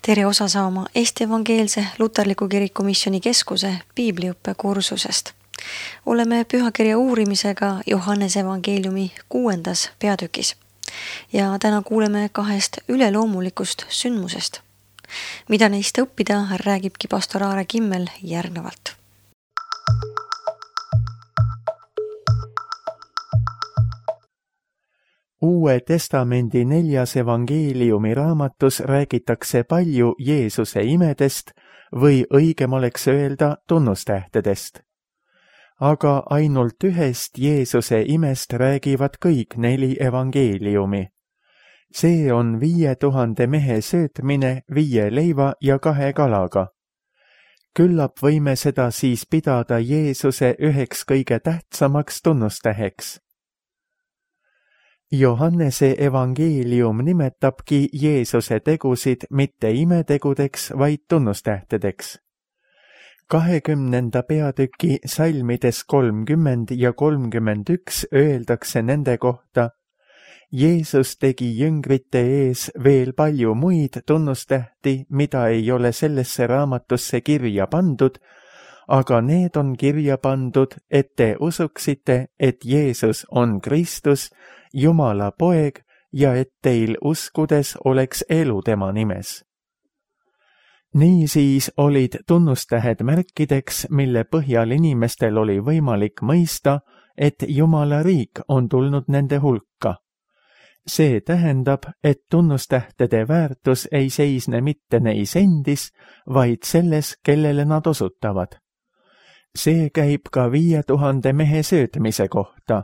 tere osa saama Eesti Evangeelse Luterliku Kiriku Missiooni Keskuse piibliõppe kursusest. Oleme pühakirja uurimisega Johannese evangeeliumi 6. peatükis ja täna kuuleme 2 üleloomulikust sündmusest. Mida neist õppida, räägibki pastor Aare Kimmel järgnevalt. Uue testamendi 4. evangeeliumi raamatus räägitakse palju Jeesuse imedest või õigem oleks öelda tunnustähtedest. Aga ainult ühest Jeesuse imest räägivad kõik 4 evangeeliumi. See on 5000 mehe söötmine 5 leiva ja 2 kalaga. Küllap võime seda siis pidada Jeesuse üheks kõige tähtsamaks tunnustäheks. Johannese evangeelium nimetabki Jeesuse tegusid mitte imetegudeks, vaid tunnustähtedeks. 20. peatüki salmides 30 ja 31 öeldakse nende kohta: Jeesus tegi jüngrite ees veel palju muid tunnustähti, mida ei ole sellesse raamatusse kirja pandud, aga need on kirja pandud, et te usuksite, et Jeesus on Kristus, Jumala poeg, ja et teil uskudes oleks elu tema nimes. Niisiis olid tunnustähed märkideks, mille põhjal inimestel oli võimalik mõista, et Jumala riik on tulnud nende hulka. See tähendab, et tunnustähtede väärtus ei seisne mitte neis endis, vaid selles, kellele nad osutavad. See käib ka 5000 mehe söötmise kohta.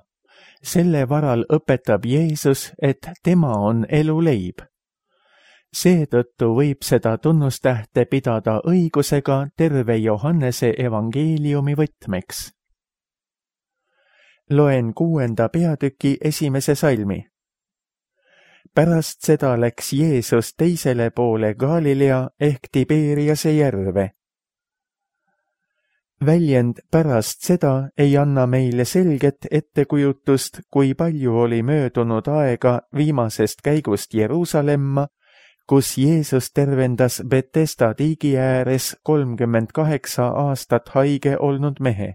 Selle varal õpetab Jeesus, et tema on eluleib. Seetõttu võib seda tunnustähte pidada õigusega terve Johannese evangeeliumi võtmeks. Loen 6. peatüki 1. salmi. Pärast seda läks Jeesus teisele poole Galilea ehk Tiberiase järve. Väljend pärast seda ei anna meile selget ettekujutust, kui palju oli möödunud aega viimasest käigust Jeruusalemma, kus Jeesus tervendas Betesda tiigi ääres 38 aastat haige olnud mehe.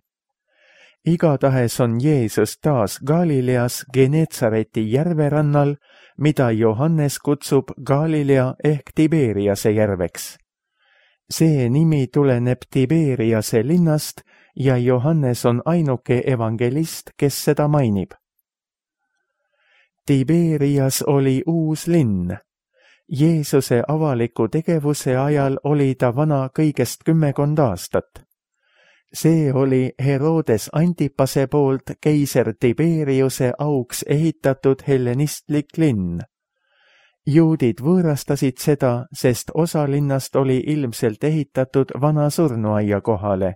Igatahes on Jeesus taas Galileas Genetsareti järverannal, mida Johannes kutsub Galilea ehk Tiberiase järveks. See nimi tuleneb Tiberiase linnast ja Johannes on ainuke evangelist, kes seda mainib. Tiberias oli uus linn. Jeesuse avaliku tegevuse ajal oli ta vana kõigest 10 aastat. See oli Herodes Antipase poolt keiser Tiberiuse auks ehitatud hellenistlik linn. Juudid võõrastasid seda, sest osa linnast oli ilmselt ehitatud vana surnuaia kohale.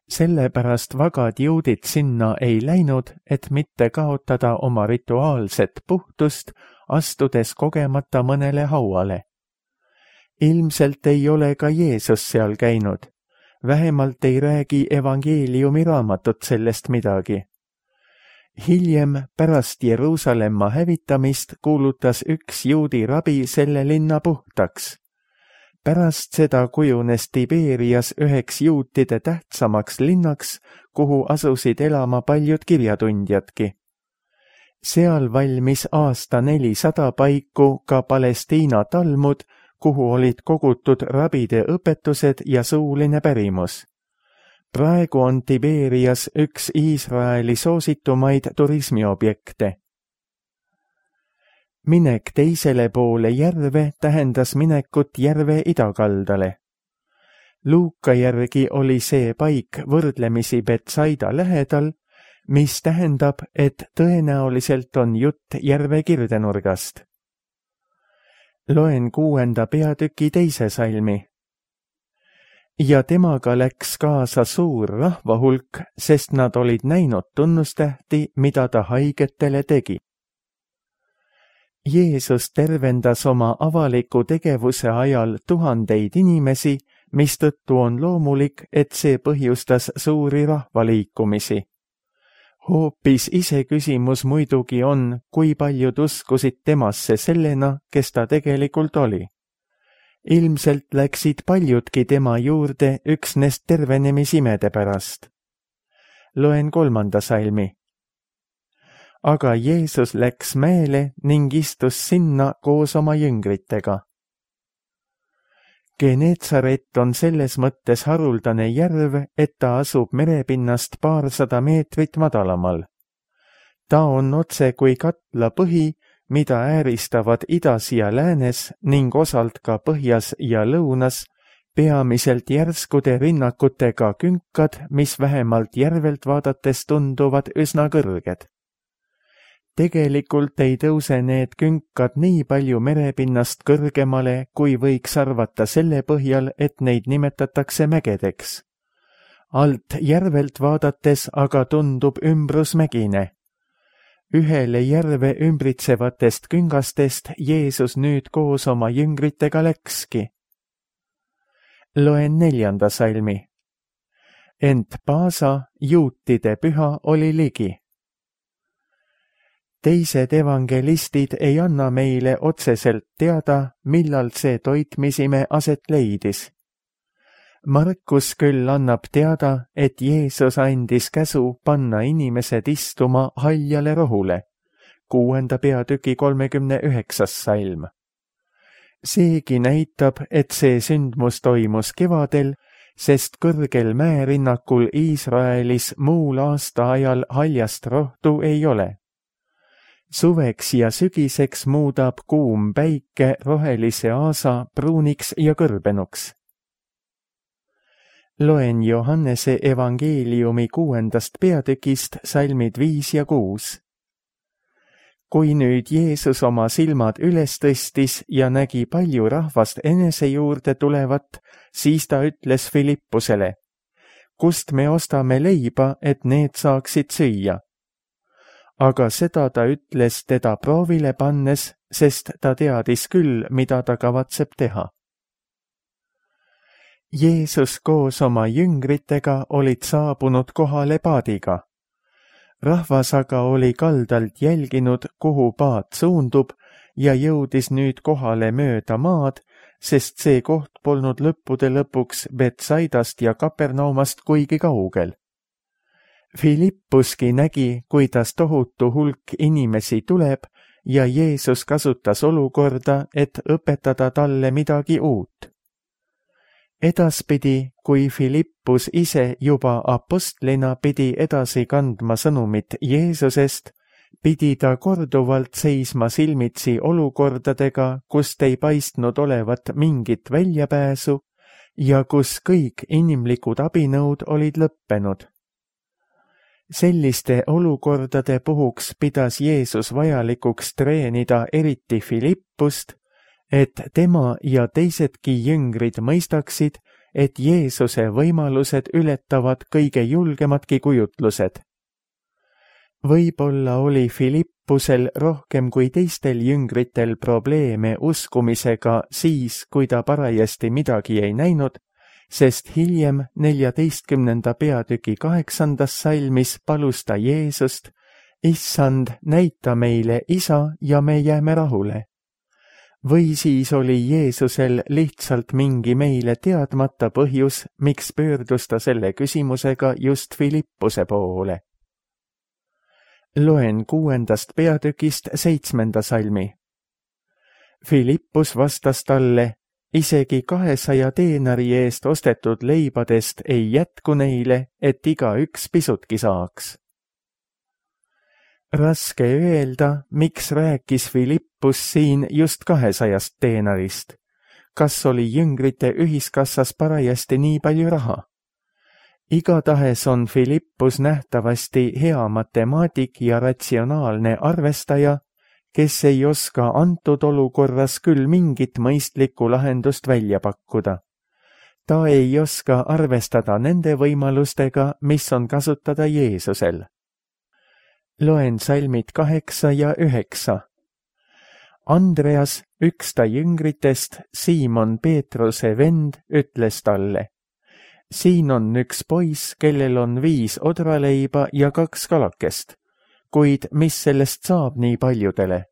Sellepärast vagad juudid sinna ei läinud, et mitte kaotada oma rituaalset puhtust, astudes kogemata mõnele hauale. Ilmselt ei ole ka Jeesus seal käinud. Vähemalt ei räägi evangeeliumi raamatut sellest midagi. Hiljem, pärast Jeruusalemma hävitamist, kuulutas üks juudi rabi selle linna puhtaks. Pärast seda kujunes Tiberias üheks juutide tähtsamaks linnaks, kuhu asusid elama paljud kirjatundjadki. Seal valmis aasta 400 paiku ka Palestiina Talmud, kuhu olid kogutud rabide õpetused ja suuline pärimus. Praegu on Tiberias üks Iisraeli soositumaid turismiobjekte. Minek teisele poole järve tähendas minekut järve idakaldale. Luuka järgi oli see paik võrdlemisi Betsaida lähedal, mis tähendab, et tõenäoliselt on jutt järve kirdenurgast. Loen 6. peatüki 2. salmi. Ja temaga läks kaasa suur rahvahulk, sest nad olid näinud tunnustähti, mida ta haigetele tegi. Jeesus tervendas oma avaliku tegevuse ajal tuhandeid inimesi, mistõttu on loomulik, et see põhjustas suuri rahvaliikumisi. Hoopis iseküsimus muidugi on, kui paljud uskusid temasse sellena, kes ta tegelikult oli. Ilmselt läksid paljudki tema juurde üksnes tervenemisimede pärast. Loen 3. salmi. Aga Jeesus läks mäele ning istus sinna koos oma jüngritega. Geneetsaret on selles mõttes haruldane järv, et ta asub merepinnast paarsada meetrit madalamal. Ta on otse kui katla põhi, mida ääristavad idas ja läänes ning osalt ka põhjas ja lõunas, peamiselt järskude rinnakutega künkad, mis vähemalt järvelt vaadates tunduvad üsna kõrged. Tegelikult ei tõuse need künkad nii palju merepinnast kõrgemale, kui võiks arvata selle põhjal, et neid nimetatakse mägedeks. Alt järvelt vaadates aga tundub ümbrus mägine. Ühele järve ümbritsevatest küngastest Jeesus nüüd koos oma jüngritega läkski. Loen 4. salmi. Ent Paasa, juutide püha, oli ligi. Teised evangelistid ei anna meile otseselt teada, millal see toitmisime aset leidis. Markus küll annab teada, et Jeesus andis käsu panna inimesed istuma haljale rohule, 6. peatüki 39. salm. Seegi näitab, et see sündmus toimus kevadel, sest kõrgel mäerinnakul Iisraelis muul aastaajal haljast rohtu ei ole. Suveks ja sügiseks muudab kuum päike rohelise aasa pruuniks ja kõrbenuks. Loen Johannese evangeeliumi 6. peatükist salmid 5 ja 6. Kui nüüd Jeesus oma silmad üles tõstis ja nägi palju rahvast enese juurde tulevat, siis ta ütles Filippusele, kust me ostame leiba, et need saaksid süüa. Aga seda ta ütles teda proovile pannes, sest ta teadis küll, mida ta kavatseb teha. Jeesus koos oma jüngritega olid saabunud kohale paadiga. Rahvas aga oli kaldalt jälginud, kuhu paat suundub ja jõudis nüüd kohale mööda maad, sest see koht polnud lõppude lõpuks Betsaidast ja Kapernaumast kuigi kaugel. Filippuski nägi, kuidas tohutu hulk inimesi tuleb ja Jeesus kasutas olukorda, et õpetada talle midagi uut. Edaspidi, kui Filippus ise juba apostlina pidi edasi kandma sõnumit Jeesusest, pidi ta korduvalt seisma silmitsi olukordadega, kust ei paistnud olevat mingit väljapääsu ja kus kõik inimlikud abinõud olid lõppenud. Selliste olukordade puhuks pidas Jeesus vajalikuks treenida eriti Filippust, et tema ja teisedki jüngrid mõistaksid, et Jeesuse võimalused ületavad kõige julgemadki kujutlused. Võib-olla oli Filippusel rohkem kui teistel jüngritel probleeme uskumisega siis, kui ta parajasti midagi ei näinud, sest hiljem 14. peatüki 8. salmis palus ta Jeesust, Issand, näita meile Isa ja me jääme rahule. Või siis oli Jeesusel lihtsalt mingi meile teadmata põhjus, miks pöördus ta selle küsimusega just Filippuse poole. Loen 6. peatükist 7. salmi. Filippus vastas talle, isegi 200 teenari eest ostetud leibadest ei jätku neile, et igaüks pisutki saaks. Raske öelda, miks rääkis Filippus siin just 200 teenarist. Kas oli jüngrite ühiskassas parajasti nii palju raha? Igatahes on Filippus nähtavasti hea matemaatik ja ratsionaalne arvestaja, kes ei oska antud olukorras küll mingit mõistlikku lahendust välja pakkuda. Ta ei oska arvestada nende võimalustega, mis on kasutada Jeesusel. Loen salmid 8 ja 9. Andreas, üks ta jüngritest, Siimon Peetruse vend, ütles talle, siin on üks poiss, kellel on 5 odraleiba ja 2 kalakest, kuid mis sellest saab nii paljudele?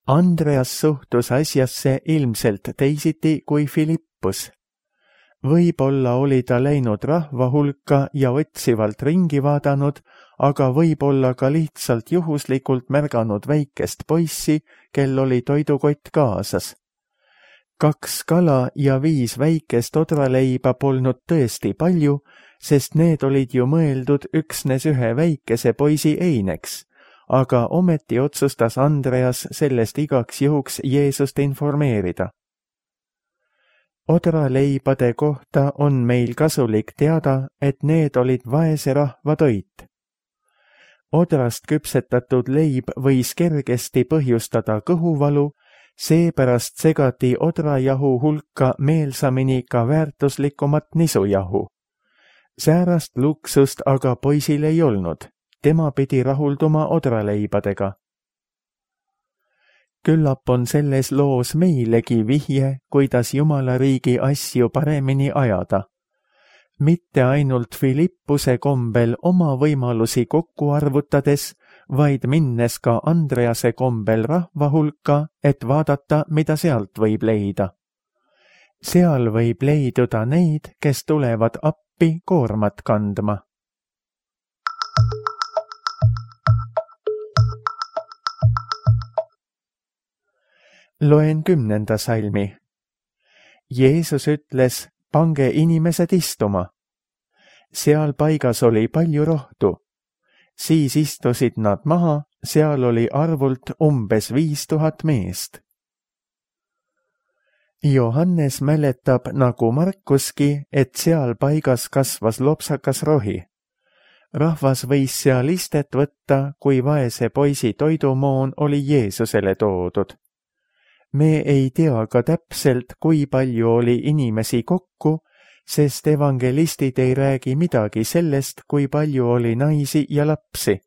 Andreas suhtus asjasse ilmselt teisiti kui Philippus. Võib-olla oli ta läinud rahva hulka ja otsivalt ringi vaadanud, aga võib-olla ka lihtsalt juhuslikult märganud väikest poissi, kel oli toidukott kaasas. 2 kala ja 5 väikest odraleiba polnud tõesti palju, sest need olid ju mõeldud üksnes ühe väikese poisi eineks, aga ometi otsustas Andreas sellest igaks juhuks Jeesust informeerida. Odraleibade kohta on meil kasulik teada, et need olid vaese rahva toit. Odrast küpsetatud leib võis kergesti põhjustada kõhuvalu, seepärast segati odrajahu hulka meelsamini ka väärtuslikumat nisujahu. Säärast luksust aga poisil ei olnud, tema pidi rahulduma odraleibadega. Küllap on selles loos meilegi vihje, kuidas Jumala riigi asju paremini ajada. Mitte ainult Philippuse kombel oma võimalusi kokku arvutades, vaid minnes ka Andrease kombel rahva hulka, et vaadata, mida sealt võib leida. Seal võib leiduda neid, kes tulevad appi koormat kandma. Loen 10. salmi. Jeesus ütles, pange inimesed istuma. Seal paigas oli palju rohtu. Siis istusid nad maha, seal oli arvult umbes 5000 meest. Johannes mäletab nagu Markuski, et seal paigas kasvas lopsakas rohi. Rahvas võis seal istet võtta, kui vaese poisi toidumoon oli Jeesusele toodud. Me ei tea ka täpselt, kui palju oli inimesi kokku, sest evangelistid ei räägi midagi sellest, kui palju oli naisi ja lapsi.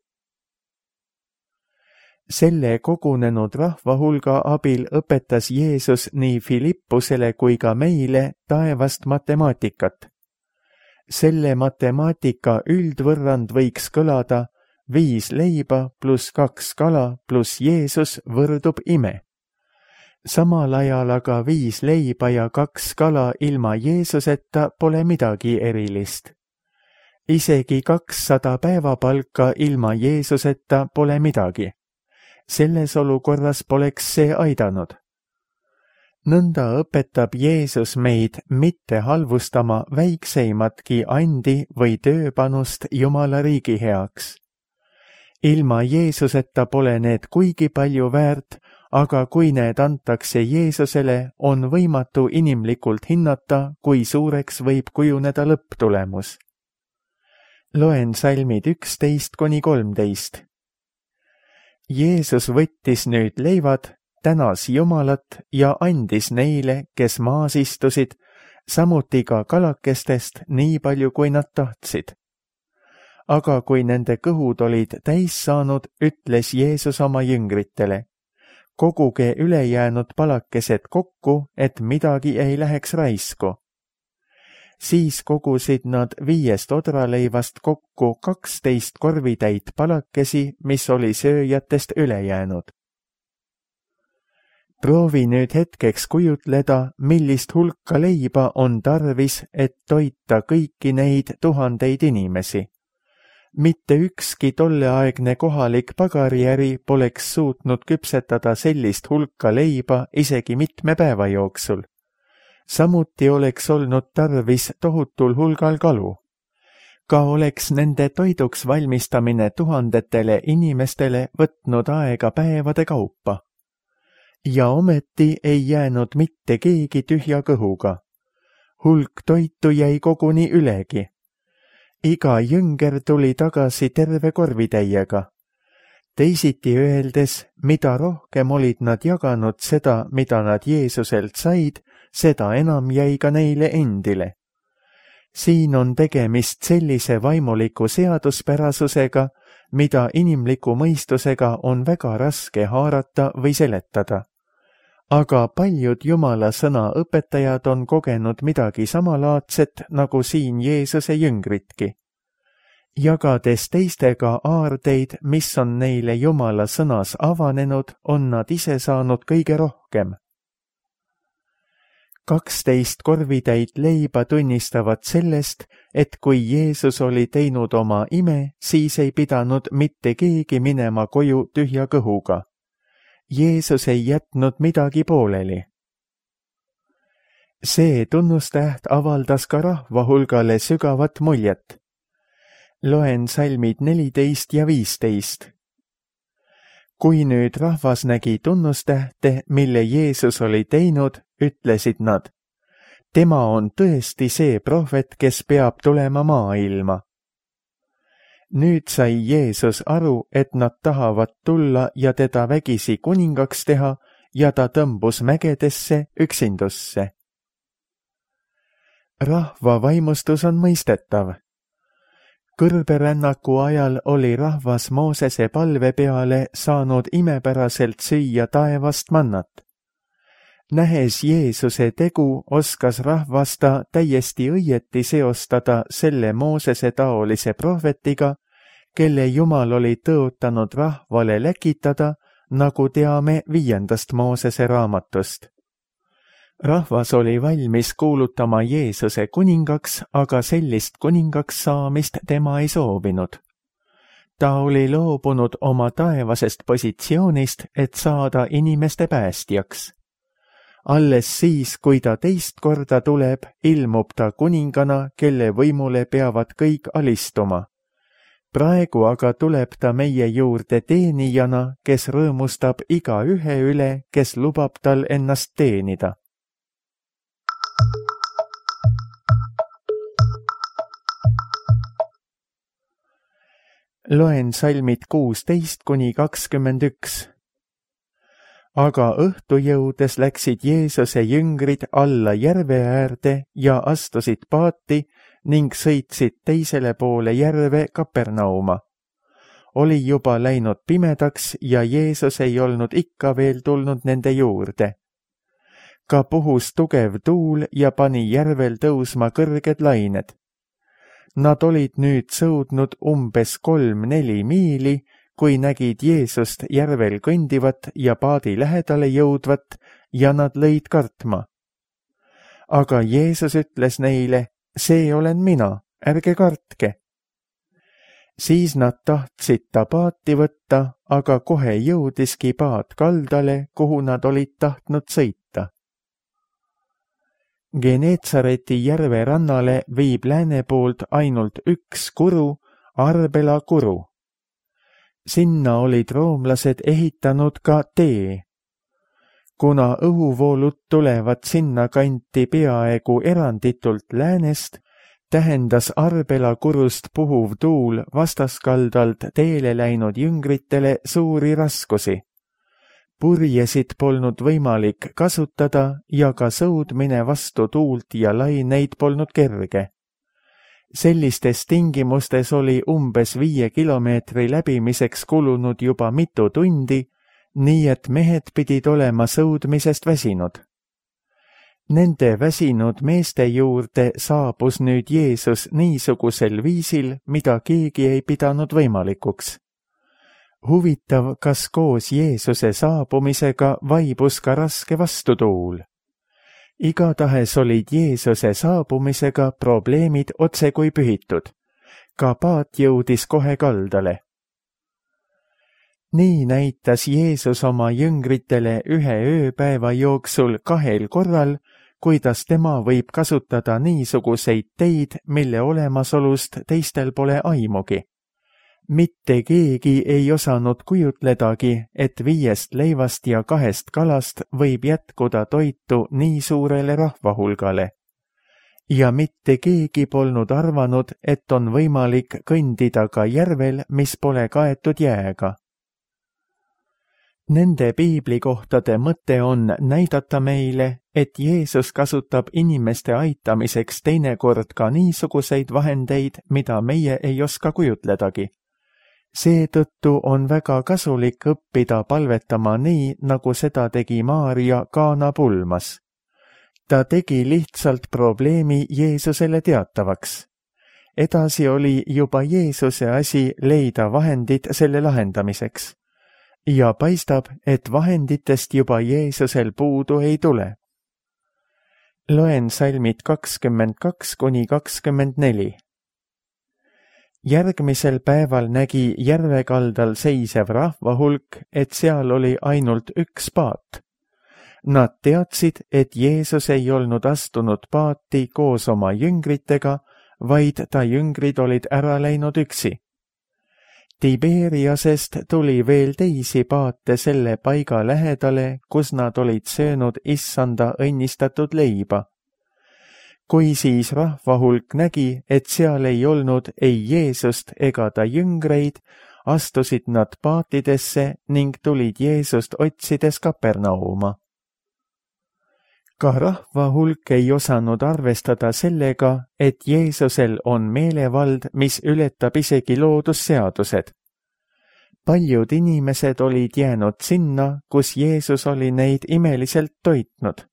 Selle kogunenud rahva hulga abil õpetas Jeesus nii Philippusele kui ka meile taevast matemaatikat. Selle matemaatika üldvõrrand võiks kõlada 5 leiba pluss 2 kala pluss Jeesus võrdub ime. Samal ajal aga 5 leiba ja 2 kala ilma Jeesuseta pole midagi erilist. Isegi 200 päevapalka ilma Jeesuseta pole midagi. Selles olukorras poleks see aidanud. Nõnda õpetab Jeesus meid mitte halvustama väikseimatki andi või tööpanust Jumala riigi heaks. Ilma Jeesuseta pole need kuigi palju väärt, aga kui need antakse Jeesusele, on võimatu inimlikult hinnata, kui suureks võib kujuneda lõpptulemus. Loen salmid 11–13. Jeesus võttis nüüd leivad, tänas Jumalat ja andis neile, kes maas istusid, samuti ka kalakestest nii palju, kui nad tahtsid. Aga kui nende kõhud olid täis saanud, ütles Jeesus oma jüngritele, koguge ülejäänud palakesed kokku, et midagi ei läheks raisku. Siis kogusid nad 5 odraleivast kokku 12 korvitäit palakesi, mis oli sööjatest üle jäänud. Proovi nüüd hetkeks kujutleda, millist hulka leiba on tarvis, et toita kõiki neid 1000 inimesi. Mitte ükski tolleaegne kohalik pagariäri poleks suutnud küpsetada sellist hulka leiba isegi mitme päeva jooksul. Samuti oleks olnud tarvis tohutul hulgal kalu. Ka oleks nende toiduks valmistamine 1000 inimestele võtnud aega päevade kaupa. Ja ometi ei jäänud mitte keegi tühja kõhuga. Hulk toitu jäi koguni ülegi. Iga jünger tuli tagasi terve korvitäiega. Teisiti öeldes, mida rohkem olid nad jaganud seda, mida nad Jeesuselt said, seda enam jäi ka neile endile. Siin on tegemist sellise vaimuliku seaduspärasusega, mida inimliku mõistusega on väga raske haarata või seletada. Aga paljud Jumala sõna õpetajad on kogenud midagi samalaadset nagu siin Jeesuse jüngritki. Jagades teistega aardeid, mis on neile Jumala sõnas avanenud, on nad ise saanud kõige rohkem. 12 korvitäit leiba tunnistavad sellest, et kui Jeesus oli teinud oma ime, siis ei pidanud mitte keegi minema koju tühja kõhuga. Jeesus ei jätnud midagi pooleli. See tunnustäht avaldas ka rahva hulgale sügavat muljet. Loen salmid 14 ja 15. Kui nüüd rahvas nägi tunnustähte, mille Jeesus oli teinud, ütlesid nad, tema on tõesti see prohvet, kes peab tulema maailma. Nüüd sai Jeesus aru, et nad tahavad tulla ja teda vägisi kuningaks teha ja ta tõmbus mägedesse üksindusse. Rahva vaimustus on mõistetav. Kõrberännaku ajal oli rahvas Moosese palve peale saanud imepäraselt süüa taevast mannat. Nähes Jeesuse tegu, oskas rahvas ta täiesti õieti seostada selle Moosese taolise prohvetiga, kelle Jumal oli tõotanud rahvale läkitada, nagu teame 5. Moosese raamatust. Rahvas oli valmis kuulutama Jeesuse kuningaks, aga sellist kuningaks saamist tema ei soovinud. Ta oli loobunud oma taevasest positsioonist, et saada inimeste päästjaks. Alles siis, kui ta teist korda tuleb, ilmub ta kuningana, kelle võimule peavad kõik alistuma. Praegu aga tuleb ta meie juurde teenijana, kes rõõmustab iga ühe üle, kes lubab tal ennast teenida. Loen salmid 16–21. Aga õhtu jõudes läksid Jeesuse jüngrid alla järve äärde ja astusid paati ning sõitsid teisele poole järve Kapernauma. Oli juba läinud pimedaks ja Jeesus ei olnud ikka veel tulnud nende juurde. Ka puhus tugev tuul ja pani järvel tõusma kõrged lained. Nad olid nüüd sõudnud umbes 3–4 miili, kui nägid Jeesust järvel kõndivat ja paadi lähedale jõudvat ja nad lõid kartma. Aga Jeesus ütles neile, see olen mina, ärge kartke. Siis nad tahtsid ta paati võtta, aga kohe jõudiski paat kaldale, kuhu nad olid tahtnud sõita. Geneetsareti järve rannale viib lääne poolt ainult üks kuru, Arbela kuru. Sinna olid roomlased ehitanud ka tee. Kuna õhuvoolud tulevad sinna kanti peaaegu eranditult läänest, tähendas Arbela kurust puhuv tuul vastaskaldalt teele läinud jüngritele suuri raskusi. Purjesid polnud võimalik kasutada ja ka sõudmine vastu tuult ja laineid polnud kerge. Sellistes tingimustes oli umbes 5 kilomeetri läbimiseks kulunud juba mitu tundi, nii et mehed pidid olema sõudmisest väsinud. Nende väsinud meeste juurde saabus nüüd Jeesus niisugusel viisil, mida keegi ei pidanud võimalikuks. Huvitav, kas koos Jeesuse saabumisega vaibus ka raske vastutuul. Igatahes olid Jeesuse saabumisega probleemid otse kui pühitud. Ka paat jõudis kohe kaldale. Nii näitas Jeesus oma jüngritele ühe ööpäeva jooksul 2 korral, kuidas tema võib kasutada niisuguseid teid, mille olemasolust teistel pole aimugi. Mitte keegi ei osanud kujutledagi, et 5 leivast ja 2 kalast võib jätkuda toitu nii suurele rahvahulgale. Ja mitte keegi polnud arvanud, et on võimalik kõndida ka järvel, mis pole kaetud jääga. Nende piiblikohtade mõte on näidata meile, et Jeesus kasutab inimeste aitamiseks teinekord ka niisuguseid vahendeid, mida meie ei oska kujutledagi. Seetõttu on väga kasulik õppida palvetama nii, nagu seda tegi Maarja Kaana pulmas. Ta tegi lihtsalt probleemi Jeesusele teatavaks. edasi oli juba Jeesuse asi leida vahendid selle lahendamiseks. Ja paistab, et vahenditest juba Jeesusel puudu ei tule. Loen salmid 22–24. Järgmisel päeval nägi järve kaldal seisev rahvahulk, et seal oli ainult üks paat. Nad teadsid, et Jeesus ei olnud astunud paati koos oma jüngritega, vaid ta jüngrid olid ära läinud üksi. Tiberiasest tuli veel teisi paate selle paiga lähedale, kus nad olid söönud issanda õnnistatud leiba. Kui siis rahvahulk nägi, et seal ei olnud ei Jeesust ega ta jüngreid, astusid nad paatidesse ning tulid Jeesust otsides Kapernauma. Ka rahvahulk ei osanud arvestada sellega, et Jeesusel on meelevald, mis ületab isegi loodusseadused. Paljud inimesed olid jäänud sinna, kus Jeesus oli neid imeliselt toitnud.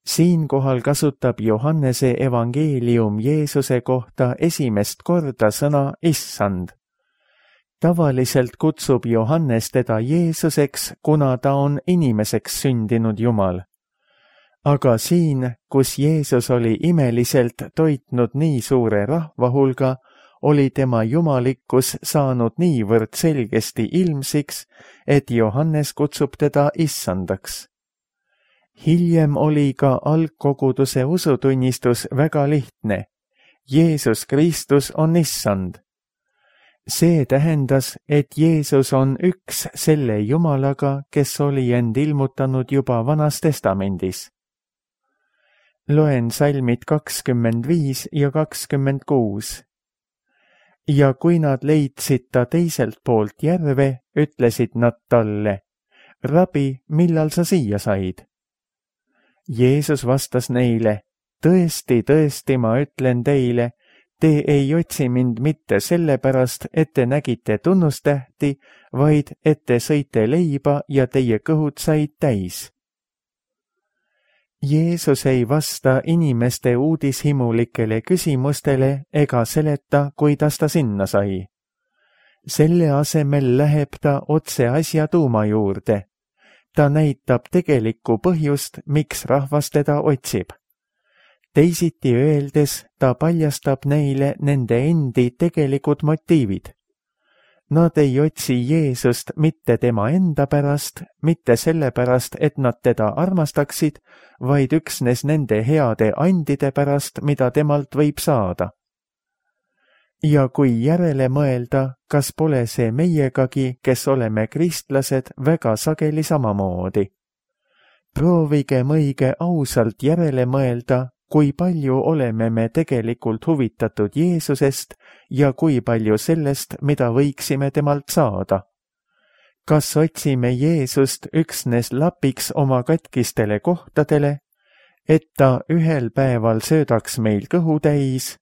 Siinkohal kasutab Johannese evangeelium Jeesuse kohta esimest korda sõna issand. Tavaliselt kutsub Johannes teda Jeesuseks, kuna ta on inimeseks sündinud Jumal. Aga siin, kus Jeesus oli imeliselt toitnud nii suure rahvahulga, oli tema jumalikkus saanud niivõrd selgesti ilmsiks, et Johannes kutsub teda issandaks. Hiljem oli ka algkoguduse usutunnistus väga lihtne. Jeesus Kristus on issand. See tähendas, et Jeesus on üks selle Jumalaga, kes oli end ilmutanud juba Vanas Testamendis. Loen salmid 25 ja 26. Ja kui nad leidsid ta teiselt poolt järve, ütlesid nad talle, Rabi, millal sa siia said? Jeesus vastas neile, tõesti, tõesti, ma ütlen teile, te ei otsi mind mitte sellepärast, et te nägite tunnustähti, vaid et te sõite leiba ja teie kõhud said täis. Jeesus ei vasta inimeste uudishimulikele küsimustele ega seleta, kuidas ta sinna sai. Selle asemel läheb ta otse asja tuuma juurde. Ta näitab tegelikku põhjust, miks rahvas teda otsib. Teisiti öeldes, ta paljastab neile nende endi tegelikud motiivid. Nad ei otsi Jeesust mitte tema enda pärast, mitte sellepärast, et nad teda armastaksid, vaid üksnes nende heade andide pärast, mida temalt võib saada. Ja kui järele mõelda, kas pole see meiegagi, kes oleme kristlased, väga sageli samamoodi. Proovigem õige ausalt järele mõelda, kui palju oleme me tegelikult huvitatud Jeesusest ja kui palju sellest, mida võiksime temalt saada. Kas otsime Jeesust üksnes lapiks oma katkistele kohtadele, et ta ühel päeval söödaks meil kõhu täis,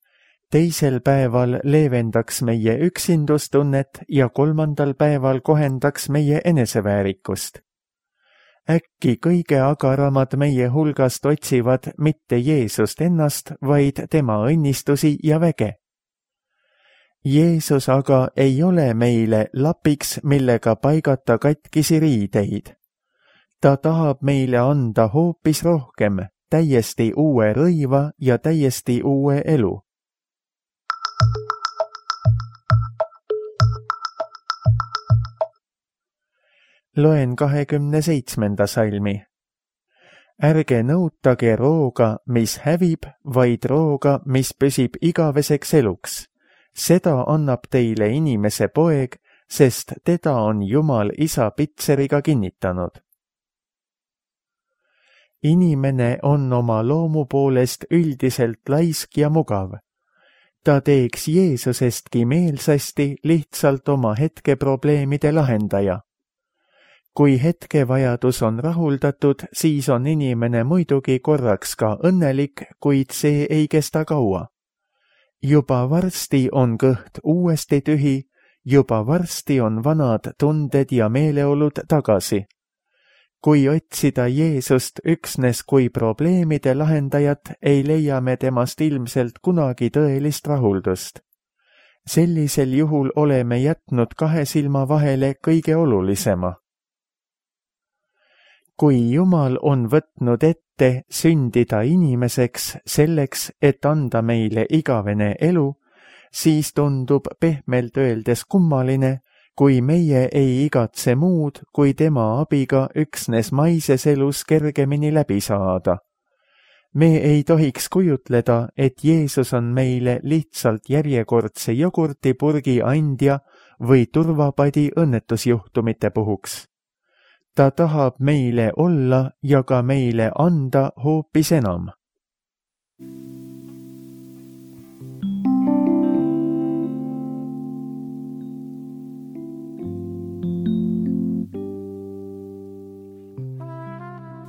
teisel päeval leevendaks meie üksindustunnet ja kolmandal päeval kohendaks meie eneseväärikust? Äkki kõige agaramad meie hulgast otsivad mitte Jeesust ennast, vaid tema õnnistusi ja väge. Jeesus aga ei ole meile lapiks, millega paigata katkisi riideid. Ta tahab meile anda hoopis rohkem, täiesti uue rõiva ja täiesti uue elu. Loen 27. salmi. Ärge nõutage rooga, mis hävib, vaid rooga, mis püsib igaveseks eluks. Seda annab teile inimese poeg, sest teda on Jumal isa pitseriga kinnitanud. Inimene on oma loomu poolest üldiselt laisk ja mugav. Ta teeks Jeesusestki meelsasti lihtsalt oma hetkeprobleemide lahendaja. Kui hetkevajadus on rahuldatud, siis on inimene muidugi korraks ka õnnelik, kuid see ei kesta kaua. Juba varsti on kõht uuesti tühi, juba varsti on vanad tunded ja meeleolud tagasi. Kui otsida Jeesust üksnes kui probleemide lahendajat, ei leia me temast ilmselt kunagi tõelist rahuldust. Sellisel juhul oleme jätnud 2 silma vahele kõige olulisema. Kui Jumal on võtnud ette sündida inimeseks selleks, et anda meile igavene elu, siis tundub pehmelt öeldes kummaline, kui meie ei igatse muud, kui tema abiga üksnes maises elus kergemini läbi saada. Me ei tohiks kujutleda, et Jeesus on meile lihtsalt järjekordse jogurtipurgi andja või turvapadi õnnetusjuhtumite puhuks. Ta tahab meile olla ja ka meile anda hoopis enam.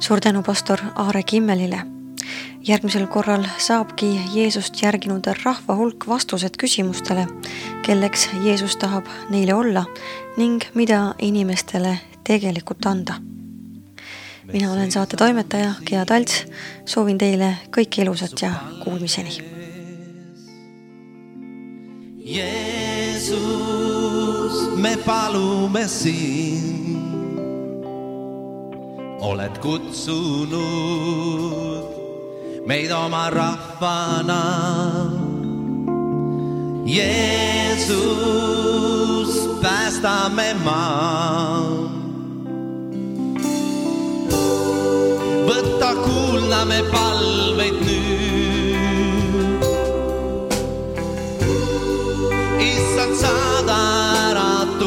Suur tänu pastor Aare Kimmelile. Järgmisel korral saabki Jeesust järginud rahva hulk vastused küsimustele, kelleks Jeesus tahab neile olla ning mida inimestele tegelikult anda. Mina olen saate toimetaja Gea Talts, soovin teile kõike ilusat ja kuulmiseni. Jeesus, me palume sind. Oled kutsunud meid oma rahvana. Jeesus, päästame maa. Võta kuulda me palveid nüüd. Issand, saada äratus.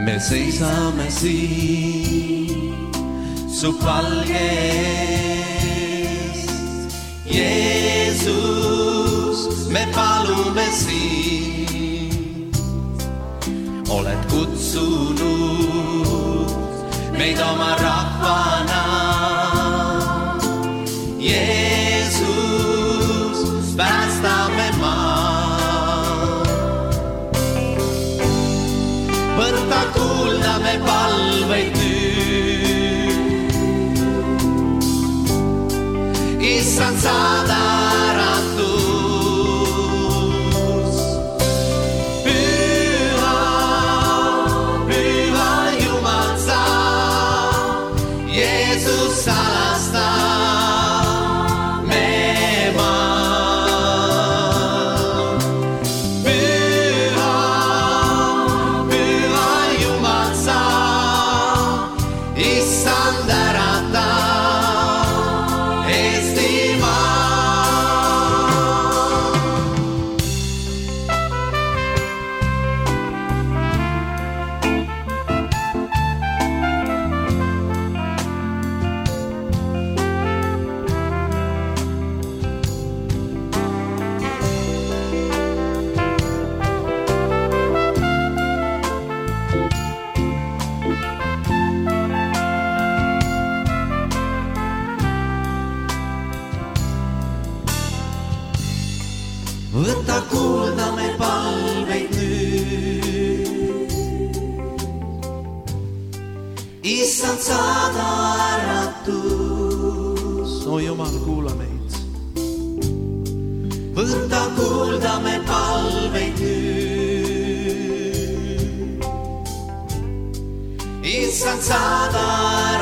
Me seisame siin su palgest. Jeesus, me palume sind. Oled kutsunud meid oma rahvana. Jeesus, päästame maa. Võta kuulda me palveid nüüd. Issand, saada äratus. Püha, püha Jumal sa, Jeesus salasta me maa. Püha, püha Jumal sa, Issand ärata Võta kuulda me palveid nüüd. Issand, saada äratus. O Jumal, kuula meid. Võta kuulda me palveid nüüd. Issand, saada äratus.